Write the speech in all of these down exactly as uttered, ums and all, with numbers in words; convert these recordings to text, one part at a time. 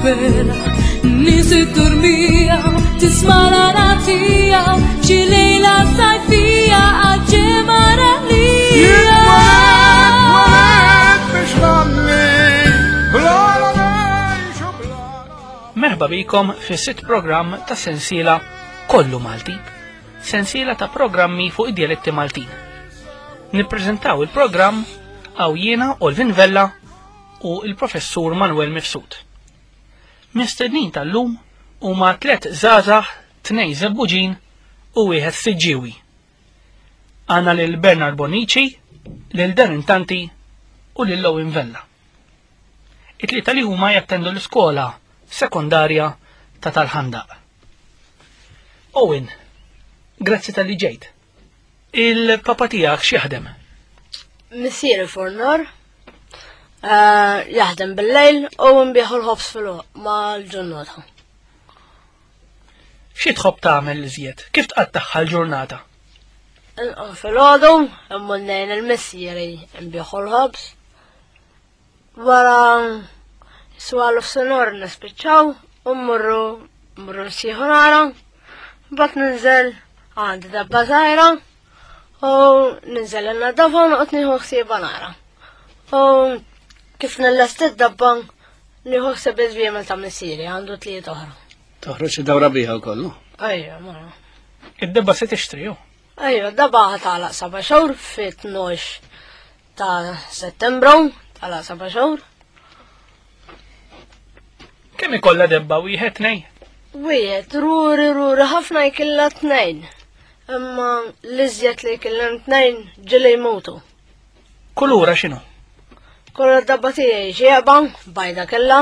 il-bera, nies it-turmija, tisma' l-għana tiegħu, xi lejla sajfija għal-ġemgħa Jien ralija. twelidt, twelidt biex ngħanni, bla la ngħix u bla Merħba bikom fis sitt programm ta' sensiela Kollu Malti, sensiela ta' programmi fuq id-dialetti Maltin. Nippreżentaw il-programm għaw jiena Olvin Vella u il-professur Manuel Mifsud. Mistednin tal-lum huma tlet żgħażagħ, tnejn Żebbuġin u wieħed Siġġiewi. Għandna lil Bernard Bonici, lil Darren Tanti u lil Owen Vella. It-tlieta li huma jattendu l-iskola sekondarja ta' Tal-Ħandaq. Owen, grazzi talli ġejt. Il-papa tiegħek x'jaħdem? Missieri fornor, eh, jaħdem bil-lejl u nbieħu l-ħobż fil mal-ġurnata. Xi tħobb tagħmel iżjed? Kif tqattagħha l-ġurnata? Nqum filgħodu, immur ngħin il-missieri nbieħu l-ħobż. Wara swalu f'sinor nispiċċaw u mmorru mmorru nsieħu nara. Mbagħad ninżel għandi dabba żgħira u ninżel in-nadafa u noqgħod nieħu ħsiebha nara. U kif nillesti d-dabba nieħu ħsieb iż-żwiemel ta' missieri għandu tliet oħra. Toħroġ id-dawra biha wkoll. Ejja, mara. Id-debba se tixtri ju. Ejja, dabba tagħlaq seba' xhur fit-tnax ta' Settembru, tagħlaq seba' xhur. Kemm ikollha debba wieħed tnejn? Wieħed, ruri, ruri, ħafna jkilla tnejn. Imma l-iżjed li jkillem tnejn ġili jmutu. Kulura x'inhu? Kolla dabba tiegħi xieba, bajda kella.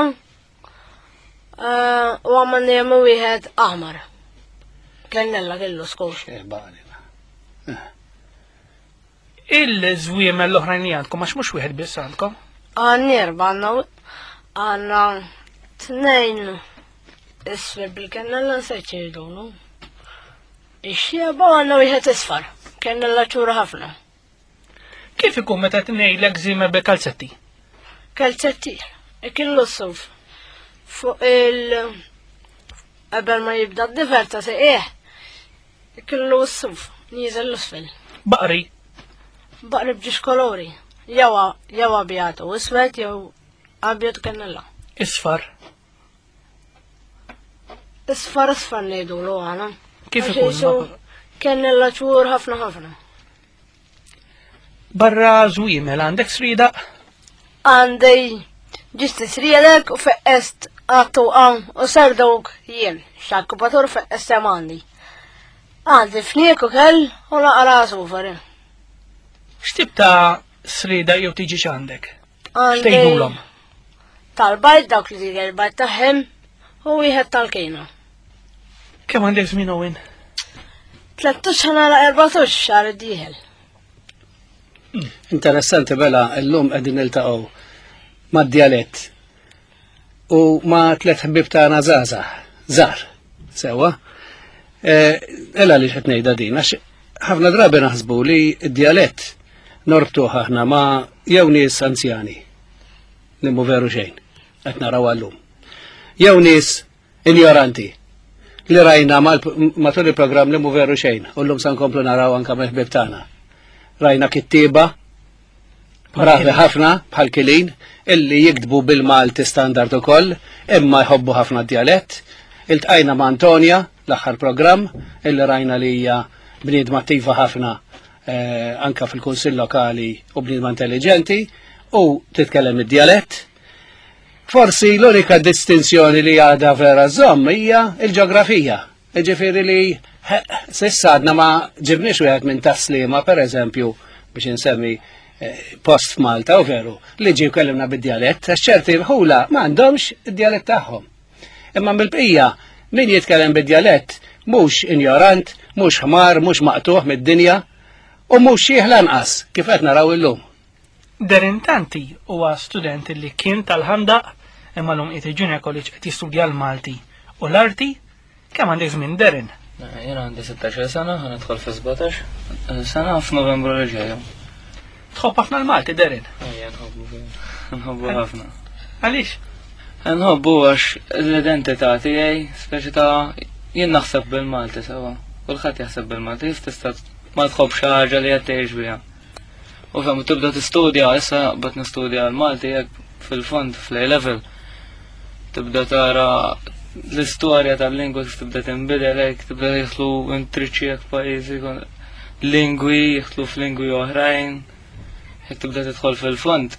Eh, U għamma jemmu wieħed aħmar. Kennella kellu skur. Eh, baqali. Il-żwiemel l-oħrajn li għandkom għax mhux wieħed biss għandkom. Għanni erba għanna għanna tnejn isfel bil-kennella nsejt ċirdunu. Ix-xieba għanna wieħed isfar. Kennella ċura ħafna. Kif ikun meta tnejlek żiemel bil-kalzetti? Kalzetti, ikillu s-suf. Fuq il- qabel ma jibda d-difer ta' seqieħ, ikillu s-suf, nieżel l-isfel. Baqri, Baqri bġiex kolori. Jew jew abjad u iswed jew abjad kennella. isfar. Isfar isfar ngħidulu għana. Kif Għax ikun? jisu Kennella ċur ħafna ħafna. Barra żwiemel għandek srida? Għandi ġisti srielek u feqqest għattu għan u sardawk jien. Xakkupatur feqqest hemm għandi. Għandi fniek u kell u naqra sufar. X'tip ta' srida jew tiġi x'għandek? Għandi X'tgħidulhom? tal-bajt dawk li tiġi l-bajt taħħem u wieħed tal-kejna. Kemm għandek żmien Owen? Tlettax ħana erbatax xahar id-dieħel. Interessanti bela llum qegħdin niltaqgħu mad-djalett u ma' tliet ħbieb tagħna żgħażagħ, żgħar, sewwa. Eh, Ella li qed ngħidha din għax ħafna drabi naħsbu li d-djalett norbtuh aħna ma' jew nies anzjani li mhu veru xejn qed naraw għallum. Jew nies injoranti li rajna mal- matul il-programm li mhu veru xejn u llum sa nkomplu naraw anka mill-ħbieb tagħna. Rajna kittieba bravi ħafna bħal Kilin illi jiktbu bil-Malti standard ukoll imma jħobbu ħafna djalett. Iltqajna ma' Antonia l-aħħar programm illi rajna li hija bniedma attiva ħafna eh, anka fil-kunsill lokali u bniedma intelligenti u titkellem id-djalett. Forsi l-unika distinzjoni li għadha vera żomm hija il-ġeografija. Ġifieri li he, s'issa għadna ma ġibniex wieħed minn Tas-Sliema, per eżempju, biex insemmi eh, post f'Malta u veru, li ġie kellimna bid-djalett, għax ċerti rħula ma għandhomx id-djalett tagħhom. Imma mill-bqija, min jitkellem bid-djalett mhux injorant, mhux ħmar, mhux maqtuħ mid-dinja u mhux xieħ lanqas kif qed naraw illum. Darren Tanti huwa student li kien Tal-Ħandaq imma llum qiegħed il-Junior College qed jistudja l-Malti u l-arti. Kemm għandek żmien Darren? Jena għandi sittax-il sena, ħa nidħol fi sbatax sena f'Novembru li ġej. Tħobb ħafna l-Malti Darren? Ejja, nħobbu, nħobbu ħafna. Għaliex? Nħobbu għax l-identità tiegħi, speċi ta' jien naħseb bil-Malti sewa. Kulħadd jaħseb bil-Malti, kif tista' ma tħobb xi ħaġa li qed tgħix biha. U fem tibda tistudja, issa bad nistudja l-Malti jekk fil-fond fl-A level. Tibda tara l-istorja tal-lingwa kif tibda tinbidel hekk, tibda jidħlu intriċċi hekk pajjiżi lingwi, jidħlu f'lingwi oħrajn, jekk tibda tidħol fil-fond,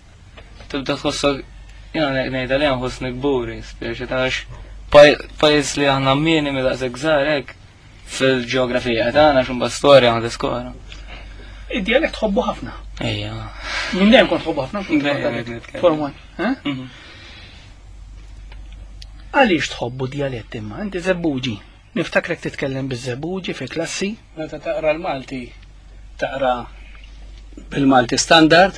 tibda tħossok jiena ngħidha li nħossni kburi, speċi ta' għax pajjiż li aħna minimi daqshekk żgħar hekk fil-ġeografija tagħna x'imba storja ma tiskora. Id-dialett tħobbu ħafna. Ejja. Minn dejjem kont tħobbu ħafna. Dejjem nitkellem. Form one. eh? Mhm. Għaliex tħobbu dialett imma? Inti Żebbuġi. Niftakrek titkellem biż-Żebbuġi fi klassi. Meta taqra l-Malti, taqra bil-Malti standard,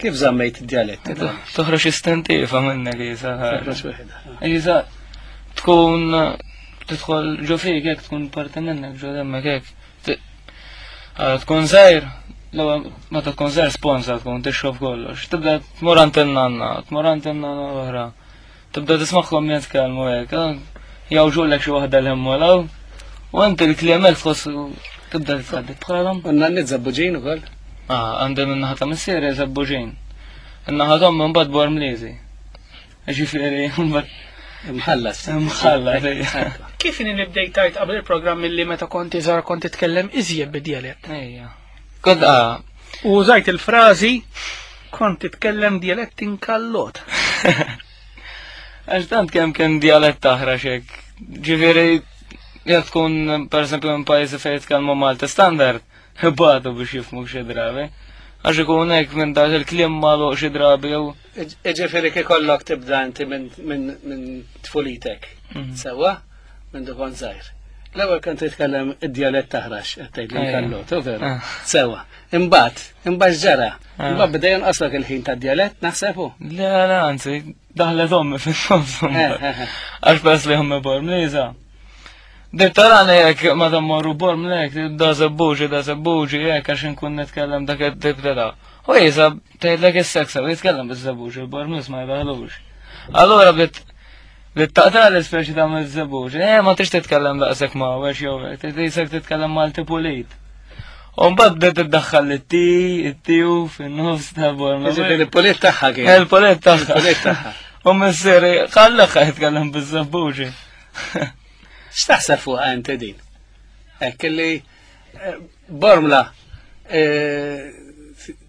kif żammejt id-dialett? Toħroġ istintiva minnek jisa. Toħroġ waħedha. Jisa tkun tidħol ġo fik hekk tkun parti minnek ġo demmek hekk. Ti- Ara tkun żgħir, l-ewwel meta tkun żgħir sponsa tkun tixrob kollox. Tibda tmur għand in-nanna, tmur għand in-nanna oħra. Tibda tismagħhom jitkellmu hekk, ah, jawġulek xi waħda l-hemm U inti l-kliem hekk tħoss tibda titħadded bħalhom. U n-nanniet Żebbuġin ukoll? Ah, għandi min-naħa ta' missieri Żebbuġin. In-naħa ta' ommi mbagħad Bormliżi. Ġifieri mbagħad Imħallas. Imħallas, ejja. Kif inhi li bdejt tajt qabel il-programm illi meta kont iżgħar kont titkellem iżjed bid-dialett? Ejja. Kont ah, U użajt il-frażi kont titkellem dialett inkallot. Għax tant kemm kien dialett taħrax hekk. Ġifieri jekk tkun pereżempju minn pajjiżi fejn jitkellmu Malti standard, ibatu biex jifhmu xi drabi. Għax ikun hekk minn dak il-kliem magħluq xi drabi jew Ġifieri ikollok tibda inti minn minn- minn tfulitek. Sewa? Minn dukon żgħir. L-ewwel kont titkellem id-dialett taħrax, qed tgħid li Ejja. nkallot, u veru. Ah. Sewa. Imbagħad, imbagħad ġara. Ah. Imbagħad beda jonqoslok il-ħin tad-dialett, naħseb hu. Le, le, anzi, daħlet ommi fin-nofs. Eh, eh, eh. Għax pers li ommi Bormliża. Dik tarani jekk ma morru Bormlek, da Żebbuġi, da Żebbuġi, jekk għax inkun nitkellem dak id-dib da. U jisa, tgħidlek is-seksa, u jitkellem biż-Żebbuġi, il-Bormliż ma jdaħlux. Allura bdiet bdiet taqta' l-ispeċi ta' miż-Żebbuġi. Eh, ma tix titkellem daqshekk ma' għax jew hekk, trid titkellem Malti pulit. U mbagħad bdiet tiddaħħal it-ti, it-tiju fin-nofs ta' Bormla. Ġifieri pulit tagħha kien. Il-polet tagħha. Il-polet tagħha. U missieri, ħallaħ jitkellem biż-Żebbuġi. X'taħseb fuqha inti din? Hekk li eh, Bormla eh,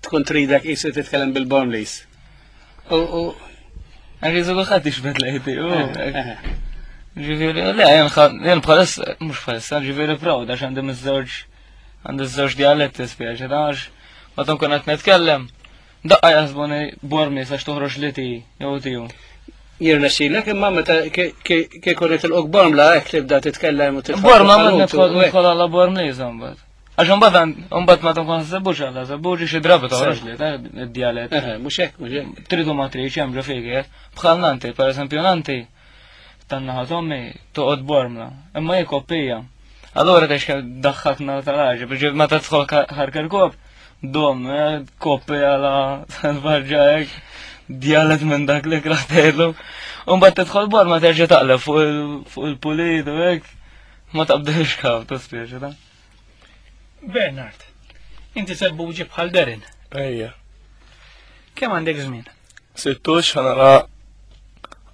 tkun tridek qisu titkellem bil-Bormlis. U u Għax jizu kulħadd jixbet lejti. u eh, eh. Ġifieri, le, jien ħa- jien bħalissa, mhux bħalissa, ġifieri proud għax għandi miż-żewġ għandi żewġ dialetti spieċi, ta' għax meta nkun qed nitkellem, daqqa jaħsbuni Bormlis għax toħroġ li ti, jew tiju. Jirnexxilek imma meta kieku nitilqok Bormla hekk tibda titkellem u tidħol. Borma ma fil-ħanut u nidħol hekk. nidħol għala Bormlis imbagħad. Għax imbagħad imbagħad ma tkun Żebbuġ għala Żebbuġi xi drabi toħroġ li ta' id-dialett. Eh, mhux hekk, mhux hekk. Tridu ma tridx hemm ġo fik, eh? Bħal nanti, per eżempju nanti, tan-naħa t'ommi toqgħod Bormla, imma hi koppija. Allura tgħix kemm daħħakna tal-ħaġa, biex meta tidħol ħarkerkop, dom, eh, koppija la tal-barġa hekk, djalet minn dak li kraħ tgħidlu. U mbagħad tidħol Bormla terġa' taqleb fuq il- fuq il-pulit u hekk, ma taqbdilx kaf, tispieċi ta' Bernard, inti Żebbuġi bħal Derin. Ejja. Kemm għandek żmien? Sittux ħanara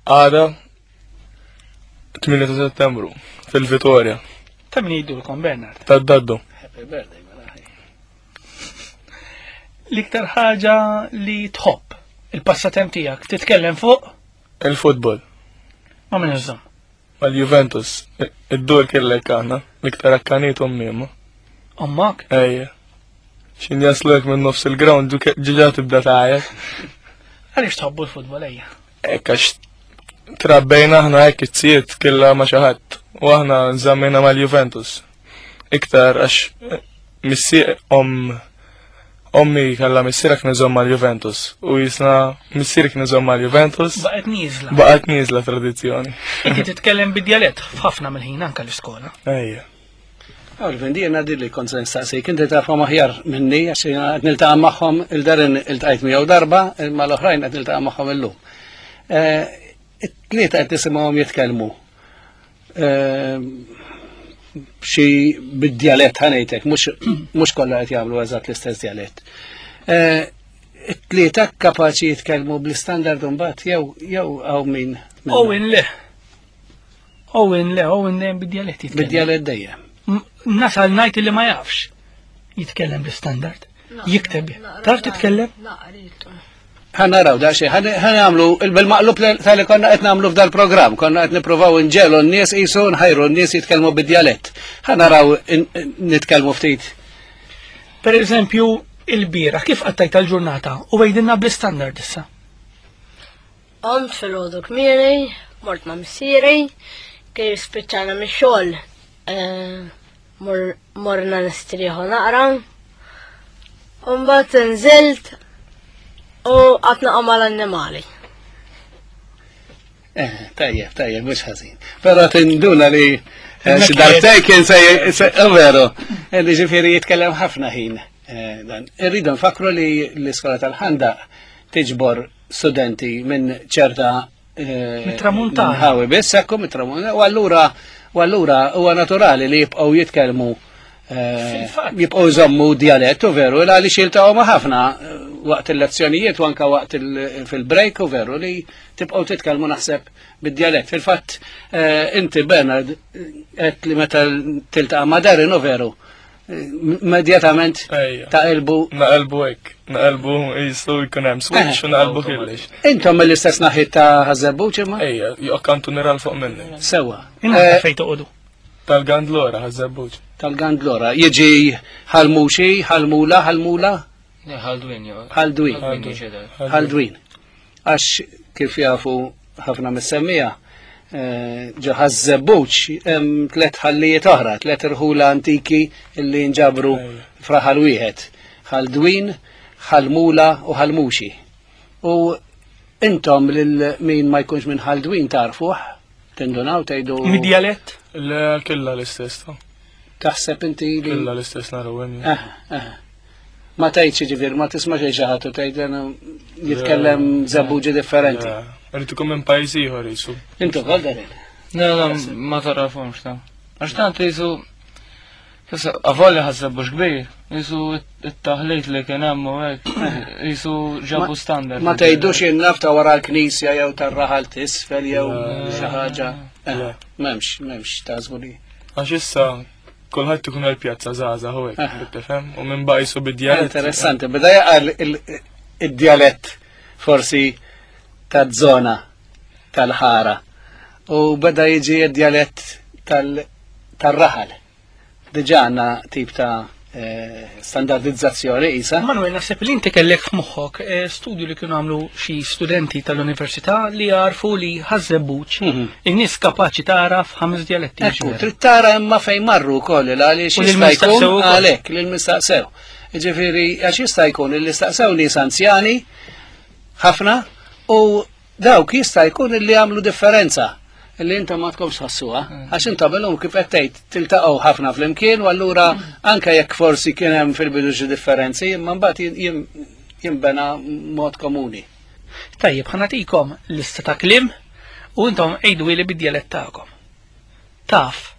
għada tmienja ta' settembru fil-Vitorja Ta' min jgħidulkom Bernard? tad-daddu. Happy birthday, mela. L-iktar ħaġa li tħobb il-passatemp tiegħek titkellem fuq Il-futbol ma' min iżżomm. mal-Juventus. Id-dur kellek aħna, l-iktar akkanit ommi Ommak? Ejja. Xin jaslu hekk minn nofs il-ground ġiġa tibda tgħajjat. Għaliex tħobbu l-futbol ejja? Hekk għax trabbejna aħna hekk it-siet killa ma xi ħadd u aħna nżammejna mal-Juventus. Iktar għax missier om ommi kellha missierek niżomm mal-Juventus u jisna missierek niżomm mal-Juventus Baqgħet nieżla. baqgħet nieżla tradizzjoni. Inti titkellem bid-djalett f'ħafna mill-ħin anke l-iskola. Ejja. Alvin, di jena li kont se nistaqsik, inti tafhom aħjar minni, għax jiena qed niltaqa' magħhom il-darin iltqajt miegħu darba, imma l-oħrajn qed niltaqa' magħhom illum. Eh, It-tlieta qed nisimgħuhom jitkellmu. Eh, xi bid-djalett ħa ngħidlek, mhux mhux kollha qed jagħmlu eżatt l-istess djalett. Eh, It-tlieta kapaċi jitkellmu bl-istandard mbagħad jew jew hawn min minna? Owen le. Owen le, Owen dejjem bid-djalett jitkellem. Bid-djalett dejjem. M- Nasal ngħid li ma jafx jitkellem bl-istandard. Jikteb. Taf titkellem? Naqritu. Ħa naraw da xej, ħa nagħmlu bil-maqlub tal-li konna qed nagħmlu f'dal-programm, konna qed nippruvaw inġegħlu n-nies qisu nħajru n-nies jitkellmu bid-djalett. Ħa naraw in- nitkellmu ftit. Per eżempju, il-bieraħ, kif qattajt tal-ġurnata u għidilna bl-istandard issa. Qomt filgħodu kmieni, mort ma' missieri, kif spiċċajna mix-xogħol, eh, mor- morna nistrieħu naqra. U mbagħad nżilt u qgħadt naqra mal-annimali. Eh, tajjeb, tajjeb, mhux ħażin. Però tinduna li eh, xi darbtejn kien se, se- oh, veru, eh, li ġifieri jitkellem ħafna ħin. eh, Dan. Irridu nfakru li l-iskola tal-Ħandaq tiġbor studenti minn ċerta eh, Mit-Tramuntana. Nħawi biss, ekku mit-Tramuntana, u allura u allura huwa naturali li jibqgħu jitkellmu eh, Fil-fatt. jibqgħu jżommu djalett u veru għaliex jiltaqgħu ma' ħafna eh, waqt il-lezzjonijiet u anka waqt il- fil-break u veru li tibqgħu titkellmu naħseb bid-djalett. Fil-fatt eh, inti Bernard qed li meta tiltaqa' ma' Darren u veru eh, immedjatament Ejja. taqilbu Naqelbu hekk, naqelbu jistu jkun hemm switch u naqelbu kollox. Intom mill-istess naħiet ta' Ħaż-Żebbuġ imma? Ejja, joqkantu niral fuq minni. Sewa. Inna Eh, fejn toqogħdu. Tal-Gandlora, Ħaż-Żebbuġ. Tal-Gandlora. Jiġi Ħal Muxi, Ħal Mula, Ħal Mula, Le, Ħal Dwin, jo. Ħal Dwin. Ħal Dwin ġedel. Ħal Dwin. Għax kif jafu ħafna mis-semmiegħa, eh, ġo Ħaż-Żebbuġ hemm tliet ħallijiet oħra, tliet irħula antiki illi nġabru Ejja. f'raħal wieħed. Ħal Dwin, Ħal Mula u Ħal Muxi. U intom lil min ma jkunx minn Ħal Dwin tarfuh, tindunaw tgħidu Mid-djalett? Le, killa l-istess, ta' taħseb inti li killa l-istess naraw hemm. Aha, aha. Ma tgħidx ġifier, ma tisma' xejn xi ħadd u tgħid jena jitkellem Żebbuġi differenti. Irid ikun minn pajjiż ieħor jisu. Intu kol Darren. Le, le, ma tarafhomx ta' Għax tant jisu, avolja Ħaż-Żebbuġ kbir, jisu it-taħlit li kien hemm u hekk, jisu ġabu standard. Ma tgħidux jien naf ta' wara l-knisja jew tar-raħal t'isfel jew xi ħaġa. Eh, Le. M'hemmx, m'hemmx tażbu li. Għax issa kulħadd ikun għal-pjazza żgħażagħ u hekk, Aha. tifhem? U minn baqa' jisu bid-djalett. Interessanti, beda jaqal il- id-djalett forsi ta' zona tal-ħara u beda jiġi id-djalett tal- tal-raħal. Diġà għandna tip ta' eh, standardizzazzjoni isa. Manuel, naħseb li inti kellek f'moħħok eh, studju li kienu għamlu xi studenti tal-università li għarfu li Ħaż-Żebbuġ Mhm. in-nies kapaċi tagħraf ħames djaletti. Ekku, trid tara imma fejn marru wkoll għaliex U lil jista' min jkun staqsew ukoll. għalhekk lil min staqsew. Ġifieri għax jista' jkun li staqsew nies anzjani ħafna u dawk jista' jkun li għamlu differenza li intom ma tkomx tħossuha, għax intom illum kif qed tgħid tiltaqgħu ħafna flimkien u allura anke jekk forsi kien hemm fil-bidu xi differenzi, imma mbagħad jin- jin- jinbena mod komuni. Tajjeb, ħa nagħtikom lista ta' kliem u intom għidu li bid-djalett tagħkom. Taf,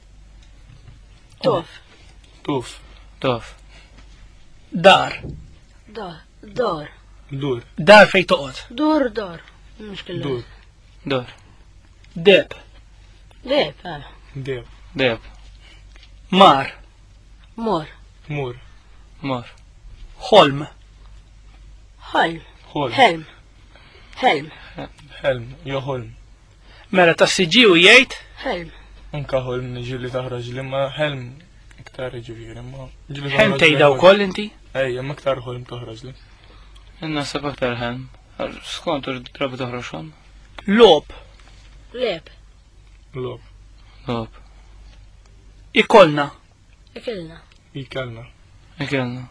Tuf, Tuf, Tuf. dar, dar, dar, dur, dar fejn toqgħod, dur, dar. Mhux killa. dur, Dur. deb, Deb, eh. deb, Deb. mar, Mor, mur, Mor. ħolm, ħolm, ħolm, ħelm, ħelm, ħelm, jo ħolm. Mela tas-Siġġiewi jgħid ħelm. Anka ħolm ġieli taħroġ li ma ħelm iktar ġifieri, ma ġieli ħelm toħroġ li tgħidha ħolm. wkoll inti? Ejja, ma iktar ħolm toħroġ li. Naħseb aktar ħelm. Skont drabi toħroġ ħolm. Logħob, Leb, Logħob, Logħob. ikollna, ikilna, ikelna, Ikelna.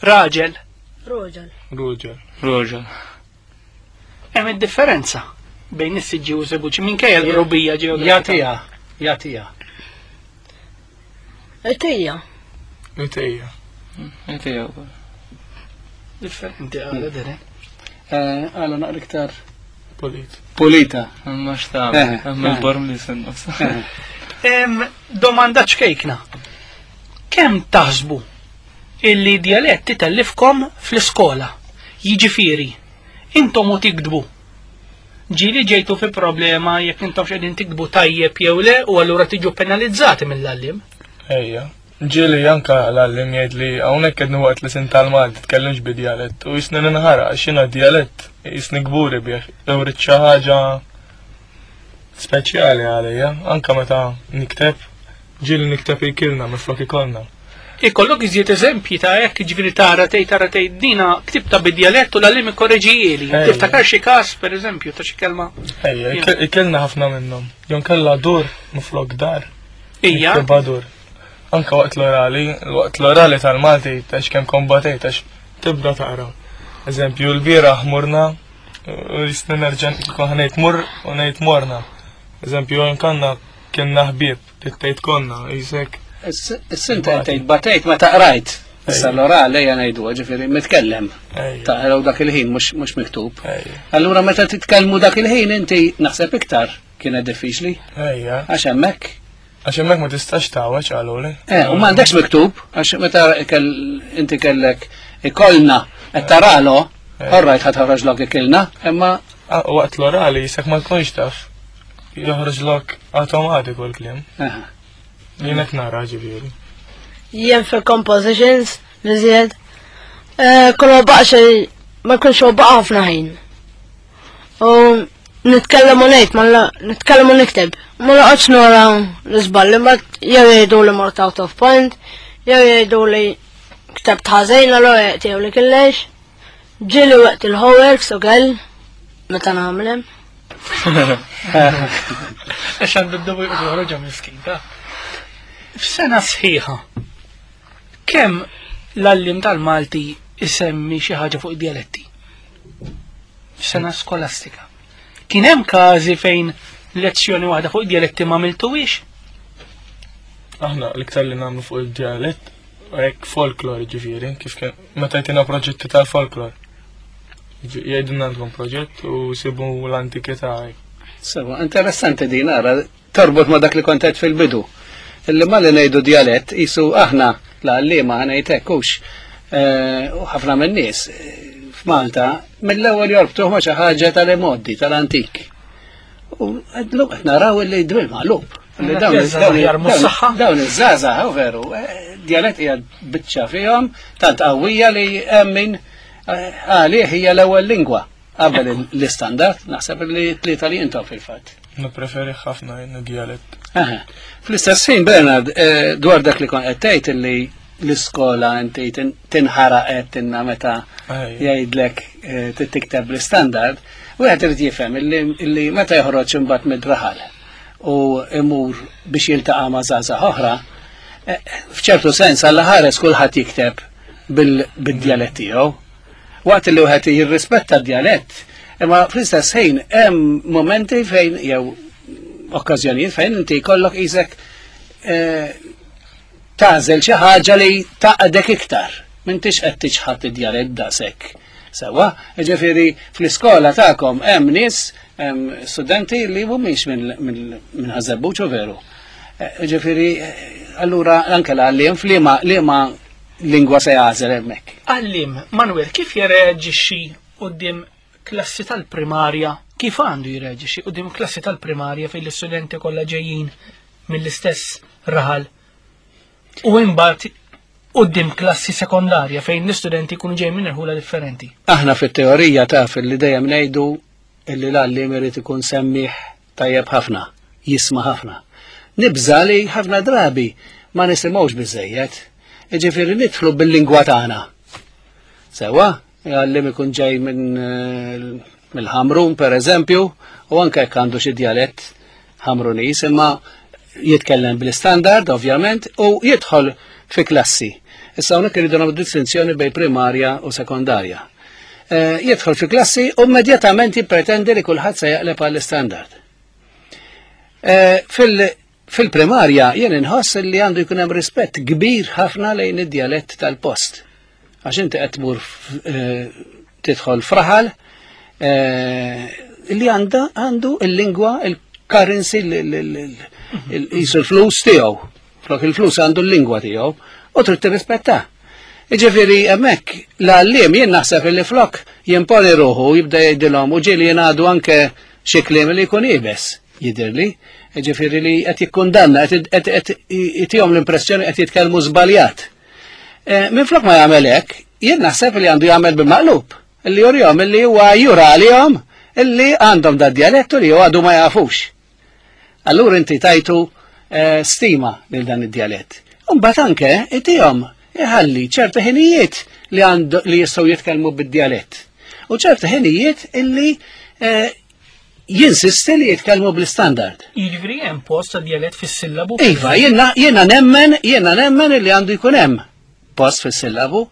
raġel. roġel, ruġel. Roġel. Hemm id-differenza bejn is-Siġġiewi u Żebbuġ minkejja l-qrubija ġeografika. Jagħtiha, jagħtiha. Itija, Itejja. Itija wkoll. Differenti għala Darren. Eh, Għala naqra iktar. Pulit. Pulita. Ma xtab, Eh, hemm eh. il-borm li sin-nofs. Em, Domanda ċkejkna. Kemm taħsbu illi djalett titellifkom fl-iskola? Jiġifieri, intom u tiktbu. Ġieli ġejtu fi problema jekk intom x'qegħdin tiktbu tajjeb jew le u allura tiġu penalizzati mill-għallim. Ejja. Ġieli anka l-għallim jgħid li hawnhekk qed waqt li sin tal-Malti tkellimx bi djalett u jisni ninħara għax jiena djalett jisni kburi bih. Jew rrid xi ħaġa speċjali għalija, anka meta nikteb, ġieli nikteb ikilna minflok ikollna. Ikollok iżjed eżempji ta' hekk jiġifieri tara tgħid tara tgħid dina ktibta bid-djalett u l-għallim ikkoreġijieli. Ejja. Tiftakar xi każ pereżempju ta' xi kelma. Ejja, ik- ikilna ħafna minnhom. Jew kellha dur minflok dar. Ija, Niktibha dur. Anka waqt l-orali, waqt l-orali tal-Malti tax kemm kombatejt għax tibda taqra. Eżempju, l-bieraħ morna, u jisni nerġa' kont ngħid mur u ngħid morna. Eżempju, nkanna kienna ħbieb, tgħid konna, jisek. Is-sinta tgħid batejt meta qrajt. Issa Ejja. l-orali ejja ngħidu, ġifieri mitkellem. Ejja. Taqraw dak il-ħin mhux mhux miktub. Ejja. Allura meta titkellmu dak il-ħin inti naħseb iktar kienet diffiċli Ejja. għax hemmhekk. Għax hemmhekk ma tistax tawweġ qaluli. Eh, u m'għandekx miktub għax meta kell- inti kellek ikollna qed taralo, orrajt ħa toħroġlok ikilna, imma Ah, Waqt l-orali jisek ma tkunx taf. Joħroġlok automatiku l-kliem. eh, Jien qed nara ġifieri. Jien fil-compositions, nizjed. Kull ma baqa xej, ma jkunx huwa baqa ħafna ħin. U nitkellem u ngħid, ma la- nitkellem u nikteb. Ma noqgħodx nora l-iżballi, ma jew jgħidu li mort out of point, jew jgħidu li ktabt ħażin, allura jgħidu li kellix. Ġieli waqt il-homeworks ukoll, meta nagħmlem. Għax għandu d-dubu joħroġha miskin, ta' F'sena sħiħa, kemm l-għallim tal-Malti isemmi xi ħaġa fuq id-dialetti? F'sena skolastika. Kien hemm każi fejn lezzjoni waħda fuq id-dialetti ma għamiltuhiex? Aħna l-iktar li nagħmlu fuq il-djalett hekk folklor ġifieri, kif kien meta jtina proġetti tal-folklor. Ġi- Jgħidulna għandkom proġett u sibu l-antikità hekk. Sewa, interessanti din ara, torbot ma dak li kont għedt fil-bidu. Illi ma li ngħidu djalett, jisu aħna l-għalliema ngħid hux. eh, U ħafna minn nies eh, f'Malta mill-ewwel jorbtuh ma xi ħaġa tal-imoddi, tal-antik. U għedlu qed naraw illi dwil maqlub. Illi dawn Jażża dawn- aħjar mhux dawn- saħħa. Dawn iż-żgħażagħ, u veru, eh, djalett hija biċċa fihom tant qawwija li hemm min eh, għalih hija l-ewwel lingwa qabel l-istandard, naħseb li tlieta li intom fil-fatt. Nippreferi ħafna jien djalett. Aha. Fl-istess ħin, Bernard, eh, dwar dak li kont qed tgħid illi l-iskola inti tin- tinħaraq qed inna meta Ejja. jgħidlek eh, tikteb l-istandard, wieħed irid jifhem illi illi meta joħroġ imbagħad mid-raħal u imur biex jiltaqa' ma' żgħażagħ oħra, eh, f'ċertu sens għalla ħares kulħadd jikteb bil- bid-djalett tiegħu. Waqt li wieħed jirrispetta d-djalett, imma fl-istess ħin hemm momenti fejn jew okkażjonijiet fejn inti jkollok isek eh, tagħżel xi ħaġa li taqdek iktar. M'intix qed tiċħad id-djalett daqshekk. Sewwa, ġifieri fl-iskola tagħkom hemm nies, hemm studenti li mhumiex minn minn minn Ħaż-Żebbuġ u veru. Eh, Ġifieri, eh, allura anke l-għalliem f'liema liema lingwa se jagħżel hemmhekk. Għallim, Manuel, kif jirreaġixxi quddiem klassi tal-primarja? Kif għandu jirreaġixxi quddiem klassi tal-primarja fejn l-istudenti kollha ġejjin mill-istess raħal? U imbagħad quddiem klassi sekondarja fejn l-istudenti jkunu ġejjin minn irħula differenti. Aħna fit-teorija taf li dejjem ngħidu illi l-għalliem irid ikun semmiħ tajjeb ħafna, jisma' ħafna. Nibża li ħafna drabi ma nisimgħux biżejjed. Jiġifieri nidħlu bil-lingwa tagħna. Sewwa, għalliem ikun ġej minn eh, mill-Ħamrun per eżempju, u anke jekk għandu xi djalett Ħamrunis, imma jitkellem bl-istandard ovvjament u jidħol fi klassi. Issa hawnhekk irridu nagħmlu distinzjoni bejn primarja u sekondarja. Eh, Jidħol fi klassi u immedjatament jippretendi li kulħadd se jaqleb għall-istandard. Eh, Fil- Fil-primarja jien inħoss li għandu jkun hemm rispett kbir ħafna lejn id-djalett tal-post. Għax inti qed tmur f- eh, tidħol fraħal, eh, li għanda għandu il-lingwa, il-currency, jisu l-flus tiegħu. Flok il-flus għandu l-lingwa tiegħu u trid tirrispetta. Jiġifieri hemmhekk l-għalliem jien naħseb li flok jimponi ruħu jibda jgħidilhom u ġieli jingħadu anke xi kliem li jkun iebes jidhirli. Jiġifieri li qed jikkundanna qed itihom l-impressjoni qed jitkellmu żbaljat. Minflok ma jagħmel hekk, jien naħseb li għandu jagħmel bil-maqlub, li jurihom li huwa jura għalihom illi għandhom da djalettu li għadu ma jafux. Allura inti tajtu stima lil dan id-djalett. Imbagħad anke itihom iħalli ċerta ħinijiet li għandu li jistgħu jitkellmu bid-djalett. U ċerta ħinijiet illi jinsisti li jitkellmu bl-istandard. Jiġifieri hemm post għad-djalett fis-sillabu? Iva, jiena nemmen, jiena nemmen illi għandu jkun hemm post fis-sillabu.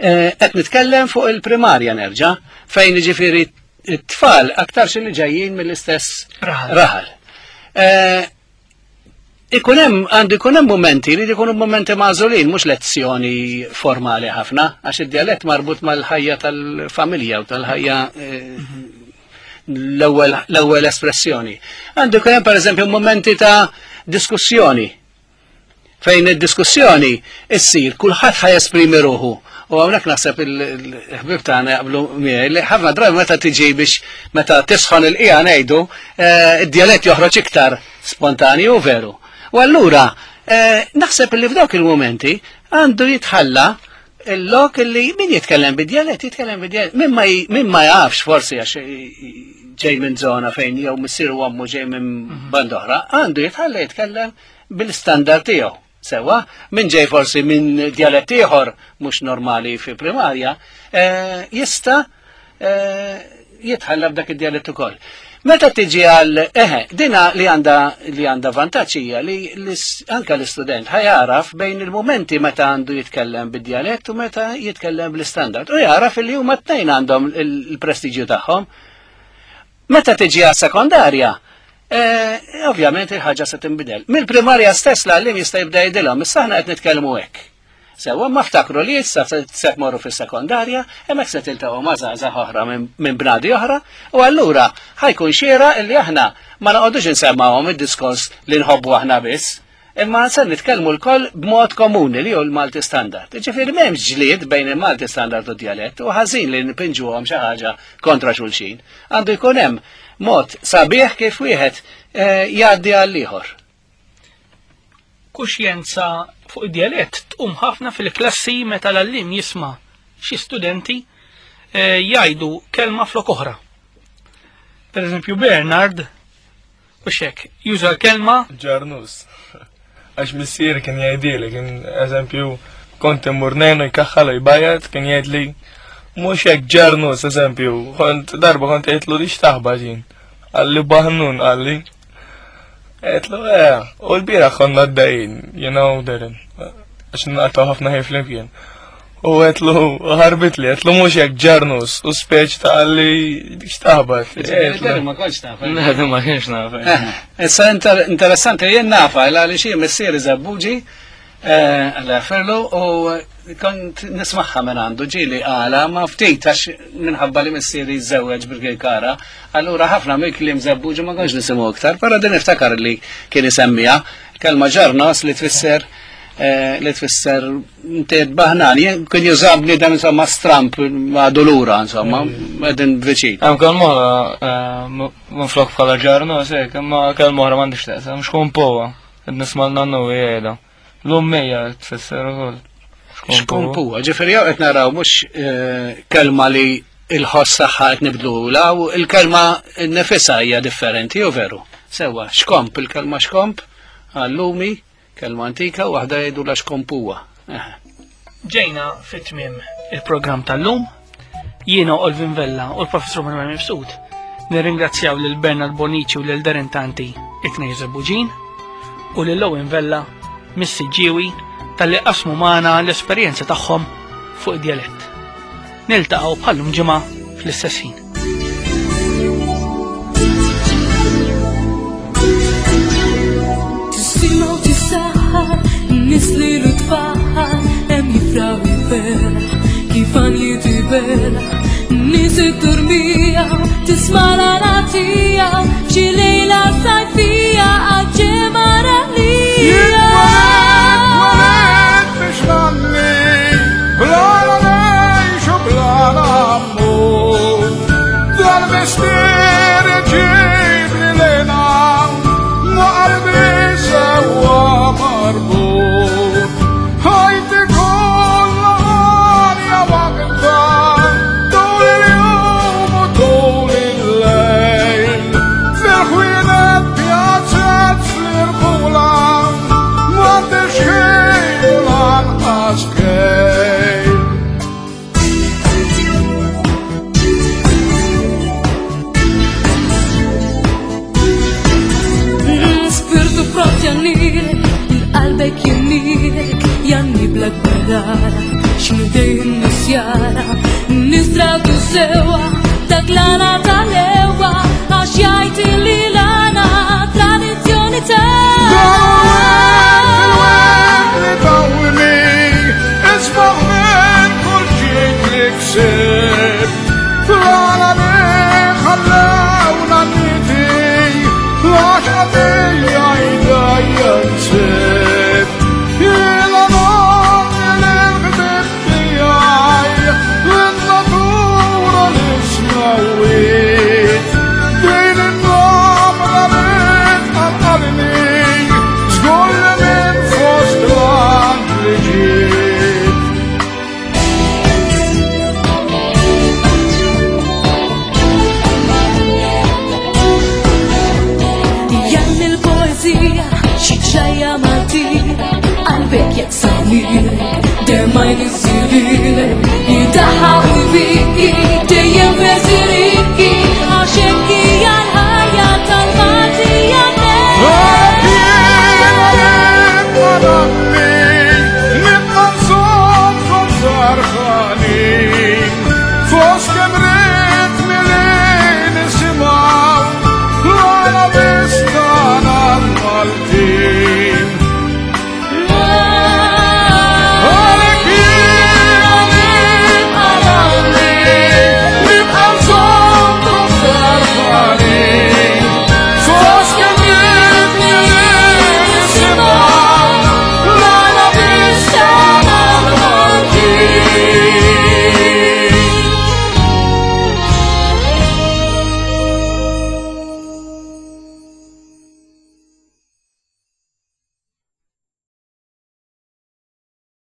Qed nitkellem fuq il-primarja nerġa', fejn jiġifieri t-tfal aktarx li ġejjin mill-istess raħal. Ikun hemm għandu jkun hemm momenti li jkunu momenti magħżulin, mhux lezzjoni formali ħafna, għax id-djalett marbut mal-ħajja tal-familja u tal-ħajja l-ewwel espressjoni. Għandu jkun hemm pereżempju momenti ta' diskussjoni fejn id-diskussjoni issir kulħadd ħa jesprimi ruħu. U hawnhekk naħseb il-ħbieb tagħna jaqblu miegħi li ħafna drabi meta tiġi biex meta tisħon il-qiegħa ngħidu id-djalett joħroġ iktar spontanju u veru. U allura naħseb li f'dawk il-momenti għandu jitħalla il-lok li min jitkellem bid-djalett jitkellem bid-djalett. Min ma jafx forsi għax ġej minn żona fejn jew missier u ommu ġej minn band oħra, għandu jitħalla jitkellem bil-standard tiegħu. Sewa, min ġej forsi minn djalett ieħor mhux normali fi primarja, jista' jitħalla b'dak id-djalett ukoll. Meta tiġi għal eħe, dina li għandha li għandha vantaġġ hija li anke l-istudent ħajaraf bejn il-momenti meta għandu jitkellem bid-djalett u meta jitkellem bl-istandard. U jaraf li huma t-tnejn għandhom il-prestiġju tagħhom. Meta tiġi għas sekondarja, ovvjament il-ħaġa se tinbidel. Mill-primarja stess l-għallim jista' jibda jgħidilhom, issa aħna qed nitkellmu hekk. Sewa ma ftakru li issa se tmorru fis-sekondarja, hemmhekk se tiltaqgħu ma' żgħażagħ oħra minn bnadi oħra, u allura ħajkun xiera li aħna ma noqogħdux insemmawhom id-diskors li nħobbu aħna biss, imma se nitkellmu lkoll b'mod komuni li hu l-Malti Standard. Ġifieri m'hemmx ġlied bejn il-Malti Standard u d-djalett u ħażin li npinġuhom xi ħaġa kontra xulxin. Għandu jkun hemm mod sabiħ kif wieħed jgħaddi għal ieħor. Kuxjenza fuq id-djalett tqum ħafna fil-klassi meta l-għalliem jisma' xi studenti jgħidu kelma flok oħra. Per eżempju Bernard u xek juża l-kelma ġarnus. Għax missier kien jgħidili, kien eżempju kont immur ngħinu jkaħħal u jbajjat, kien jgħidli mhux hekk ġarnus eżempju, kont darba kont għidtlu li x'taħba ġin. Qalli baħnun qalli. Għedtlu eh, u l-bieraħ konna għaddejjin, you know, Darren, għax naqtaw ħafna ħin flimkien. U għedtlu ħarbitli, għedtlu mhux hekk ġarnus, u speċ ta' qalli x'taħbat. Darren ma kontx nafa. Le, ma kienx nafa. Issa interessanti jien nafa, għaliex jien missieri Żebbuġi, għalla ferlu, u kont nismaħħa minn għandu ġieli għala ma ftit għax minħabba li missieri żewweġ bil-Kara, allura ħafna mill-kliem Żebbuġi ma kontx nisimgħu iktar, però din niftakar li kien isemmiha kelma ġarnos li tfisser li tfisser inti baħnan, kien juża bniedem insomma stramp għadu lura insomma, qegħdin viċin. Hemm kelma oħra minflok bħala ġarnos hekk, imma kelma oħra m'għandix taqsam, xkompowa, qed nisma' l-nannu jgħidha. L-ummija tfisser ukoll. Xkompuwa, ġifieri jew qed naraw mhux kelma li il-ħoss tagħha qed nibdluha u l-kelma nifisha hija differenti, jew veru. Sewwa, xkomp, il-kelma xkomp għall-lumi, kelma antika, u waħda jgħidu la xkompuwa. Ġejna fit-tmiem il-programm tal-lum. Jiena Olvin Vella u l-Professur Manuel Mifsud nirringrazzjaw lil Bernard Bonici u lil Darren Tanti it-tnejn Żebbuġin u lil Owen Vella mis-Siġġiewi tal-li qasmu magħna l-esperjenza tagħhom fuq id-djalett. Niltaqgħu bħallum ġimgħa fl-istess ħin. Tisimgħu tisaħħar, nies li tfaħħar, hemm jifraħ jiferaħ, kif għan jitiberaħ, Nies it-turmija, tisma' l-għana f'xi lejla sajfija għal-ġemara lija. Jien biex nanni, bla ngħix u bla nammur. Dal-mistier ġib li lena, ma qalbi sewwa marbut. Ħajti kollha għalja waħda, tul il-jum u tul il-lejl. Fil-ħwienet pjazzet fl-irħula, m'għandix ħin u lanqas kejl. Spirtu protjanilek, il-qalbek jinnilek, janni blak barara, x'nidej nisjara, nistratu sewa, dak l-għana tal-ewa, għax jgħid li l-għana tradizzjoni ta' Li tawni, isbaħ minn kull ġid li ksib. Fl-għana li ħallewna niti, għax għadija jdajja nsib. Jila nagħmel il-ħbib tiegħi, in-natura li smawit. Din in-namra li tqanqalni, żgur li minn fost l-anġli ġiet. Janni l-poezija, xi ġajja Maltija, qalbek jekk samilek, der ma jniżilek,